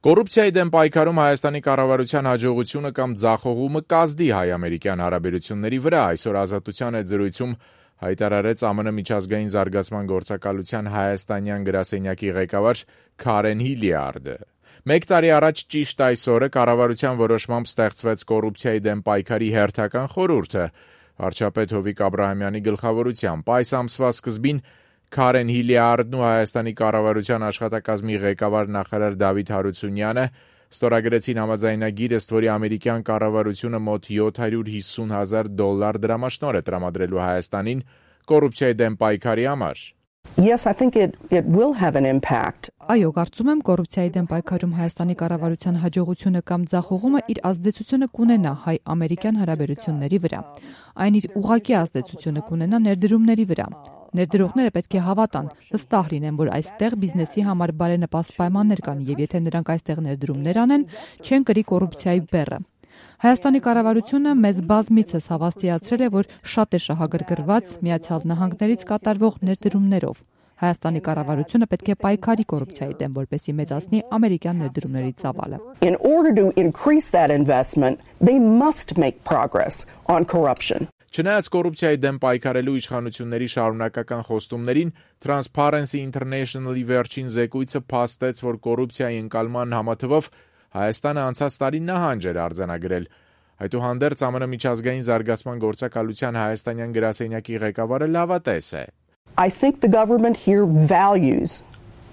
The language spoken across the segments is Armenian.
Կոռուպցիայի դեմ պայքարում Հայաստանի կառավարության հաջողությունը կամ ձախողումը կազդի հայ-ամերիկյան հարաբերությունների վրա, այսօր Ազատության հետ զրույցում հայտարարեց ԱՄՆ միջազգային զարգացման գործակալության հայաստանյան գրասենյակի ղեկավար Քարեն Հիլիարդը։ 1 տարի առաջ ճիշտ այս օրը կառավարության որոշմամբ ստեղծվեց կոռուպցիայի դեմ պայքարի հերթական խորհուրդը վարչապետ Հովիկ Աբրահամյանի գլխավորությամբ։ Այս ամսվա սկզբին Քարեն Հիլիարդն ու Հայաստանի կառավարության աշխատակազմի ղեկավար նախարար Դավիթ Հարությունյանը ստորագրեցին համաձայնագիր, ըստ որի ամերիկյան կառավարությունը մոտ $750,000 դրամաշնորհ է տրամադրելու Հայաստանին կոռուպցիայի դեմ պայքարի համար։ Yes, I think it will have an impact. Այո, կարծում եմ կոռուպցիայի դեմ պայքարում Հայաստանի կառավարության հաջողությունը կամ ձախողումը իր ազդեցությունը կունենա հայ-ամերիկյան հարաբերությունների վրա։ Այն իր ուղղակի ազդեցությունը կունենա ներդրումների վրա։ Ներդրողները պետք է հավատան, վստահ լինեն, որ այստեղ բիզնեսի համար բարենպաստ պայմաններ կան, եւ եթե նրանք այստեղ ներդրումներ անեն, չեն կրի կոռուպցիայի բեռը։ Հայաստանի կառավարությունը մեզ բազմիցս հավաստիացրել է, որ շատ է շահագրգռված Միացյալ Նահանգներից կատարվող ներդրումներով։ Հայաստանի կառավարությունը պետք է պայքարի կոռուպցիայի դեմ, որպեսզի մեծացնի ամերիկյան ներդրումների ծավալը։ In order to increase that investment, they must make progress on corruption. Չնայած կոռուպցիայի դեմ պայքարելու իշխանությունների շարունակական խոստումներին, Transparency International-ի վերջին զեկույցը փաստեց, որ կոռուպցիայի ընկալման համաթվով Հայաստանը անցած տարի նահանջ էր արձանագրել։ Այդուհանդերձ ԱՄՆ միջազգային զարգացման գործակալության հայաստանյան գրասենյակի ղեկավարը լավատես է։ I think the government here values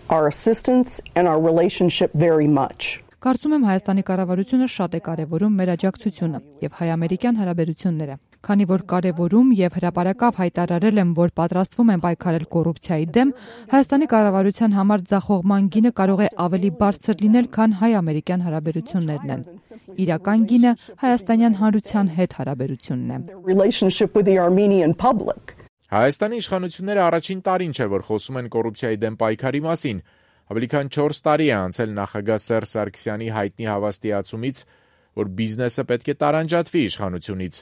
our assistance and our relationship very much. Կարծում եմ Հայաստանի կառավարությունը շատ է կարևորում մեր աջակցությունը եւ հայ-ամերիկյան հարաբերությունները։ Քանի որ կարևորում եւ հրապարակավ հայտարարել եմ, որ պատրաստվում են պայքարել կոռուպցիայի դեմ, Հայաստանի կառավարության համար ձախողման գինը կարող է ավելի բարձր լինել, քան հայ-ամերիկյան հարաբերություններն են։ Իրական գինը հայաստանյան հանրության հետ հարաբերությունն է։ Հայաստանի իշխանությունները առաջին տարին չէ, որ խոսում են կոռուպցիայի դեմ պայքարի մասին։ Ավելի քան 4 տարի է անցել նախագահ Սերժ Սարգսյանի հայտնի հավաստիացումից, որ բիզնեսը պետք է տարանջատվի իշխանությունից,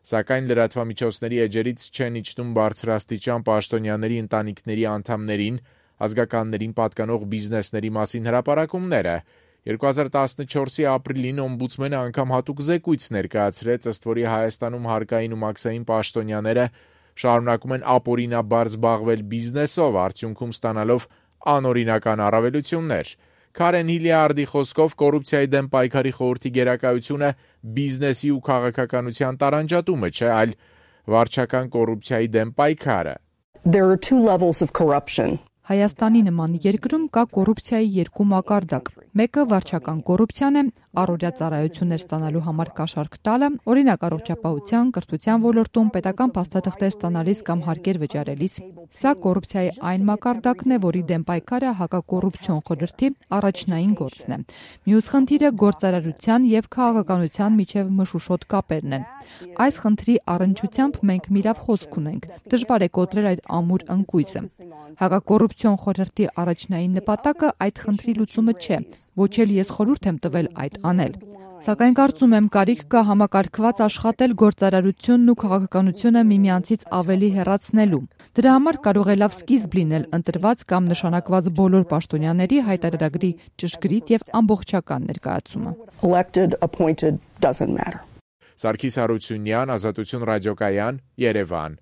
սակայն լրատվամիջոցների էջերից չեն իջնում բարձրաստիճան պաշտոնյաների ընտանիքների անդամներին, ազգականներին պատկանող բիզնեսների մասին հրապարակումները։ 2014-ի ապրիլին օմբուդսմենը անգամ հատուկ զեկույց ներկայացրեց, ըստ որի Հայաստանում հարկային ու մաքսային պաշտոնյաները շարունակում են ապօրինաբար զբաղվել բիզնեսով, արդյունքում ստանալով անօրինական առավելություններ։ Քարեն Հիլիարդի խոսքով կոռուպցիայի դեմ պայքարի խորհրդի գերակայությունը բիզնեսի ու քաղաքականության տարանջատումը չէ, այլ վարչական կոռուպցիայի դեմ պայքարը։ There are two levels of corruption. Հայաստանի նման երկրում կա կոռուպցիայի երկու մակարդակ։ Մեկը վարչական կոռուպցիան է, առօրյա ծառայություններ ստանալու համար կաշառք տալը, օրինակ առողջապահության, կրթության ոլորտում պետական փաստաթղթեր ստանալիս կամ հարկեր վճարելիս։ Սա կոռուպցիայի այն մակարդակն է, որի դեմ պայքարը հակակոռուպցիոն խորհրդի առաջնային գործն է։ Մյուս խնդիրը գործարարության եւ քաղաքականության միջև մշուշոտ կապերն են։ Այս խնդրի առնչությամբ մենք միրավ խոսք ունենք։ Դժվար է կոտրել այդ ամուր ընկույզը։ Հակակոռուպցիոն խորհրդի առաջնային նպատակը այդ խնդրի լուծումը չէ, ոչ էլ ես խորհուրդ եմ տվել այդ անել։ Սակայն կարծում եմ կարիք կա համակարգված աշխատել գործարարությունն ու քաղաքականությունը միմյանցից ավելի հեռացնելու։ Դրա համար կարող է լավ սկիզբ լինել ընտրված կամ նշանակված բոլոր պաշտոնյաների հայտարարագրի ճշգրիտ եւ ամբողջական ներկայացումը։ Elected, appointed doesn't matter. Սարգիս Հարությունյան, Ազատություն ռադիոկայան, Երևան։